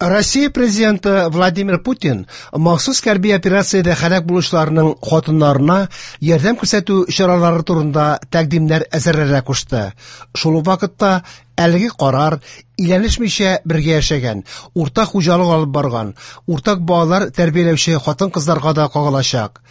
Россия президенты Владимир Путин махсус хәрби операциядә һәлак булучыларның хатыннарына ярдәм күрсәтү чаралары турында тәкъдимнәр әзерләргә кушты. Шул ук вакытта әлеге карар өйләнешмичә бергә яшәгән, уртак хуҗалык алып барган, уртак балалар тәрбияләүче хатын-кызларга да кагылачак.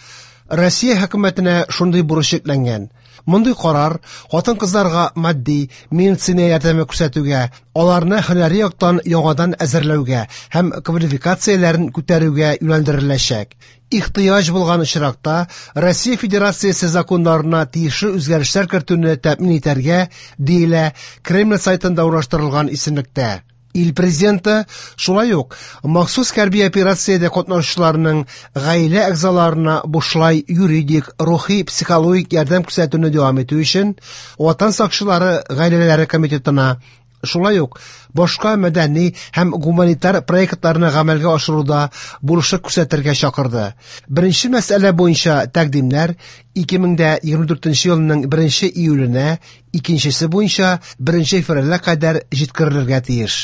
Россия хөкүмәтенә шундый бурыч йөкләнгән. Мондый карар хатын-кызларга матди, медицина ярдәме күрсәтүгә, аларны һөнәри яктан яңадан әзерләүгә һәм квалификацияләрен күтәрүгә юнәлдереләчәк. Ихтыяҗ булган очракта Россия Федерациясе законнарына тиешле үзгәрешләр кертүне тәэмин итәргә, диелә Кремль сайтында урнаштырылган исемлектә. Ил президенты шулай ук махсус хәрби операциядә катнашучыларның гаилә әгъзаларына бушлай юридик, рухи, психологик ярдәм күрсәтүне дәвам итү өчен Ватан сакчылары гаиләләре комитетына, шулай ук башка мәдәни һәм гуманитар проектларны гамәлгә ашыруда булышлык күрсәтергә чакырды. Беренче мәсьәлә буенча тәкъдимнәр 2024 елның 1 июленә, икенчесе буенча 1 февральгә кадәр җиткерелергә тиеш.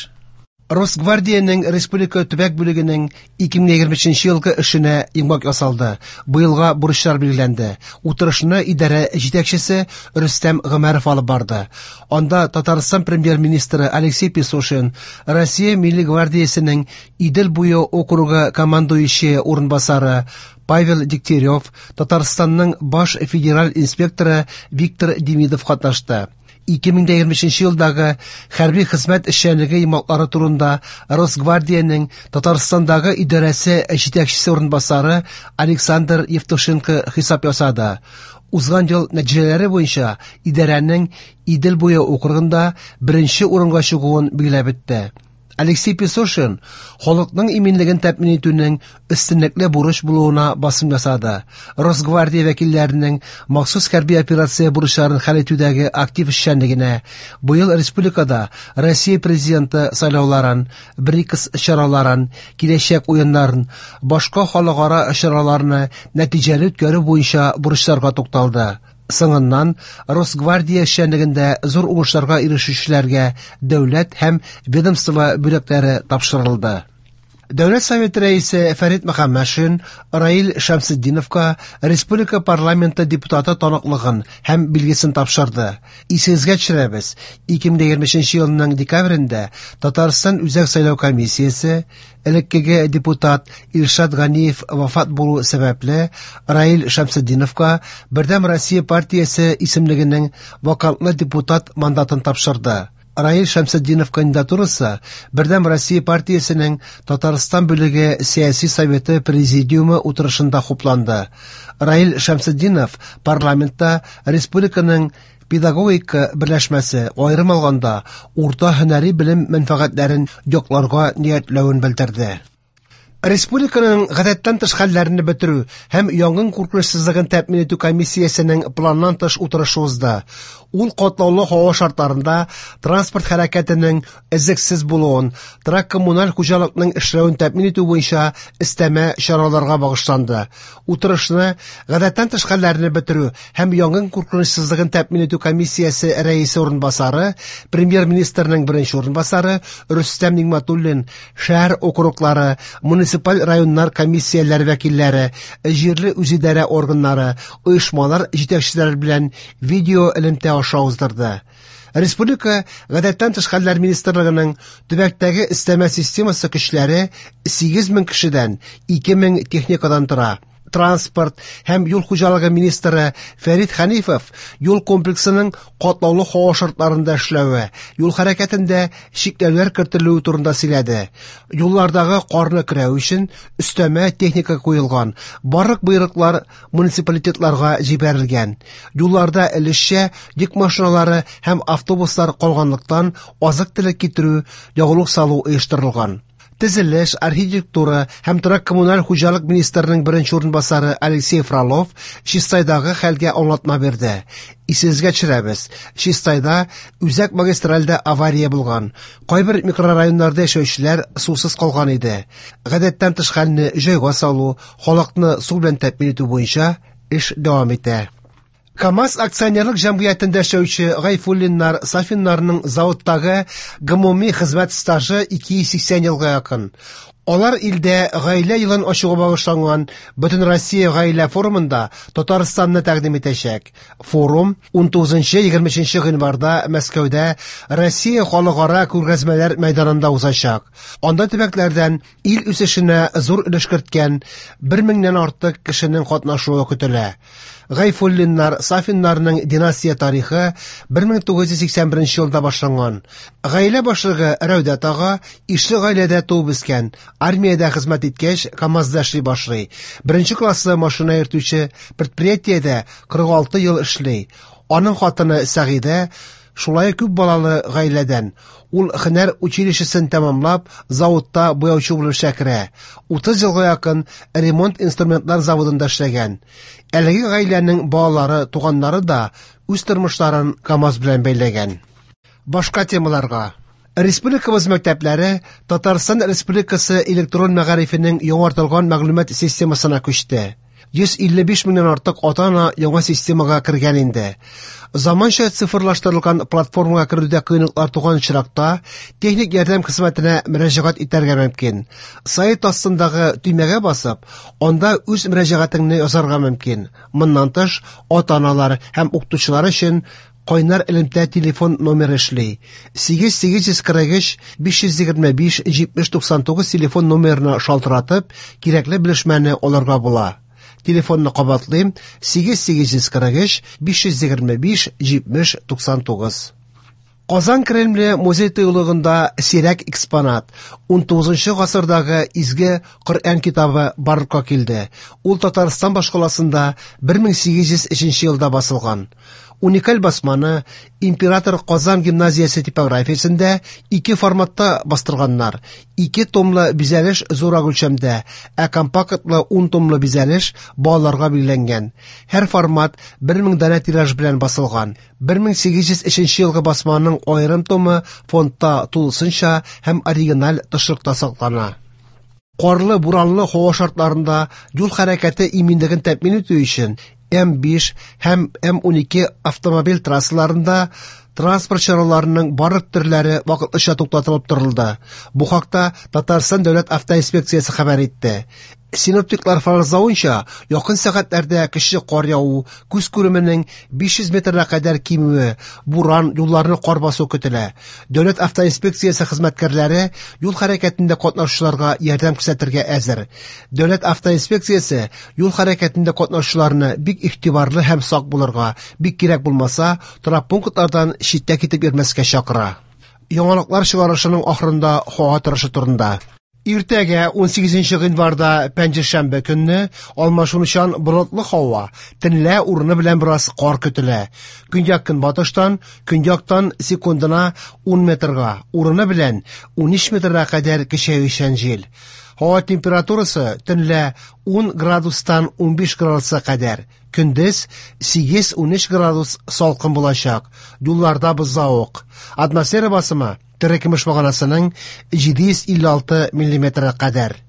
Росгвардиянең республика төбәк бүлегенең 2023 елгы эшенә йомгак ясалды. Быелга бурычлар билгеләнде. Утырышны идарә җитәкчесе Рөстәм Гомәров алып барды. Анда Татарстан премьер-министры Алексей Песошин, Россия Милли гвардиясенең Идел буе округы командующие урынбасары Павел Дегтярев, Татарстанның баш федераль инспекторы Виктор Демидов катнашты. 2023 елдагы хәрби хезмәт эшчәнлеге йомгаклары турында Росгвардиянең Татарстандагы идарәсе җитәкчесе урынбасары Александр Евтушенко хисап ясады. Узган ел нәтиҗәләре буенча идарәнең Идел буе округында беренче урынга чыгуын билгеләп үтте. Алексей Песошин халыкның иминлеген тәэмин итүнең өстенлекле бурыч булуына басым ясады. Росгвардия вәкилләренең махсус хәрби операция бурычларын хәл итүдәге актив эшчәнлегенә, быел республикада Россия президенты сайлауларын, БРИКС чараларын, киләчәк уеннарын, башка халыкара чараларны нәтиҗәле үткәрү буенча бурычларга тукталды. Соңыннан Росгвардия эшчәнлегендә зур уңышларга ирешүчеләргә дәүләт һәм ведомство бүләкләре тапшырылды. Дәүләт Советы рәисе Фәрит Мөхәммәтшин Раил Шәмсетдиновка республика парламенты депутаты таныклыгын һәм билгесен тапшырды. Исегезгә төшерәбез, 2023 елның декабрендә Татарстан Үзәк сайлау комиссиясе элеккеге депутат Илшат Ганиев вафат булу сәбәпле, Раил Шәмсетдиновка Бердәм Россия партиясе исемлегенең вакантлы депутат мандатын тапшырды. Раил Шәмсетдинов кандидатурасы Бердәм Россия партиясенең Татарстан бүлеге сәяси советы президиумы утырышында хупланды. Раил Шәмсетдинов парламентта республиканың педагогика берләшмәсе, аерым алганда, урта һөнәри белем мәнфәгатьләрен якларга ниятләвен белдерде. Республиканың гадәттән тыш хәлләрне бетерү һәм янгын куркынычсызлыгын тәэмин итү комиссиясенең планнан тыш утырышы узды. Ул катлаулы һава шартларында транспорт хәрәкәтенең өзлексез булуын, торак-коммуналь хуҗалыкның эшләвен тәэмин итү буенча өстәмә чараларга багышланды. Утырышны гадәттән тыш хәлләрне бетерү һәм янгын куркынычсызлыгын тәэмин итү комиссиясе рәисе урынбасары, премьер-министрның беренче урынбасары Рөстәм Нигъмәтуллин, шәһәр округлары, муниципаль районнар комиссияләре вәкилләре, җирле үзидарә органнары, оешмалар җитәкчеләре белән видео элемтә аша уздырды. Республика гадәттән тыш хәлләр министрлыгының төбәктәге өстәмә системасы көчләре 8000 кешедән, 2000 техникадан тора. Транспорт һәм юл хуҗалыгы министры Фәрит Хәнифов юл комплексының катлаулы һава шартларында эшләве, юл хәрәкәтендә чикләүләр кертелүе турында сөйләде. Юллардагы карны көрәү өчен өстәмә техника куелган, барлык боерыклар муниципалитетларга җибәрелгән. Юлларда өлешчә йөк машиналары һәм автобуслар калганлыктан азык-төлек китерү, ягулык салу оештырылган. Төзелеш, архитектура һәм торак-коммуналь хуҗалык министрының беренче урынбасары Алексей Фролов Чистайдагы хәлгә аңлатма бирде. Исегезгә төшерәбез, Чистайда үзәк магистральдә авария булган. Кайбер микрорайоннарда яшәүчеләр сусыз калган иде. Гадәттән тыш хәлне җайга салу, халыкны су белән тәэмин итү буенча эш дәвам итә. КАМАЗ акционерлык җәмгыятендә эшләүче Гайфуллиннар, Сафиннарның заводтагы гомуми хезмәт стажы 280 елга якын. Алар илдә Гаилә елын ачуга багышланган Бөтенроссия гаилә форумында Татарстанны тәкъдим итәчәк. Форум 19-23 гыйнварда Мәскәүдә Россия халыкара күргәзмәләр мәйданында узачак. Анда төбәкләрдән ил үсешенә зур өлеш керткән 1 меңнән артык кешенең катнашуы көтелә. Гайфуллиннар, Сафиннарның династия тарихы 1981 елда башланган. Гаилә башлыгы Рәүдәт ага ишле гаиләдә туып үскән, армиядә хезмәт иткәч, КАМАЗда эшли башлый. Беренче класслы машина йөртүче, предприятиедә 46 ел эшли. Аның хатыны Сәгыйдә шулай күп балалы гаиләдән. Ул һөнәр училищесын тәмамлап, заводта буяучы булып эшкә керә. 30 елга якын ремонт инструментлар заводында эшләгән. Әлеге гаиләнең балалары, туганнары да үз тормышларын КАМАЗ белән бәйләгән. Башка темаларга. Республикабыз мәктәпләре Татарстан Республикасы электрон мәгарифенең яңартылган мәгълүмат системасына күчте. 155 меңнән артык ата-ана яңа системага кергән инде. Заманча цифрлаштырылган платформага керүдә кыенлыклар туган очракта, техник ярдәм хезмәтенә мөрәҗәгать итәргә мөмкин. Сайт астындагы төймәгә басып, анда үз мөрәҗәгатеңне язарга мөмкин. Моннан тыш, ата-аналар һәм укытучылар өчен кайнар элемтә телефон номеры эшли. 8843 525 7099 телефон номерына шалтыратып, кирәкле белешмәне алырга була. Телефонны кабатлыйм: 8843 525 7099. Казан Кремле музей тыюлыгында сирәк экспонат 19 гасырдагы изге Коръән китабы барлыкка килде. Ул Татарстан башкаласында 1803 елда басылган. Уникаль басманы Император Казан гимназиясе типографиясендә ике форматта бастырганнар. Ике томлы бизәлеш зуррак үлчәмдә, ә компактлы 10 томлы бизәлеш балаларга билгеләнгән. Һәр формат 1000 данә тираж белән басылган. 1803 елгы басманың аерым томы фондта тулысынча һәм оригиналь тышлыкта саклана. Карлы, буранлы һава шартларында юл хәрәкәте иминлеген тәэмин итү өчен М5 һәм М12 автомобиль трассаларында транспорт чараларының барлык төрләре вакытлыча туктатылып торылды. Бу хакта Татарстан дәүләт автоинспекциясе хәбәр итте. Синоптиклар фаразлавынча, якын сәгатьләрдә көчле кар яву, күз күременең 500 метрга кадәр кимүе, буран, юлларны кар басу көтелә. Дәүләт автоинспекциясе хезмәткәрләре юл хәрәкәтендә катнашучыларга ярдәм күрсәтергә әзер. Дәүләт автоинспекциясе юл хәрәкәтендә катнашучыларны бик игътибарлы һәм сак булырга, бик кирәк булмаса, торак пунктлардан читтә китеп йөрмәскә чакыра. Яңалыклар чыгарышының ахырында һава торышы турында. Иртәгә 18 гыйнварда пәнҗешәмбе көнне алмашынучан болытлы һава, төнлә урыны белән бераз кар көтелә. Көньяк-көнбатыштан, көньяктан секундына 10 метрга, урыны белән 13 метрга кадәр көчәючән җил. Һава температурасы төнлә 10 градустан 15 градуска кадәр, көндез 8-13 градус салкын булачак. Юлларда бозлавык. Атмосфера басымы терекөмеш баганасының 756 миллиметрга кадәр.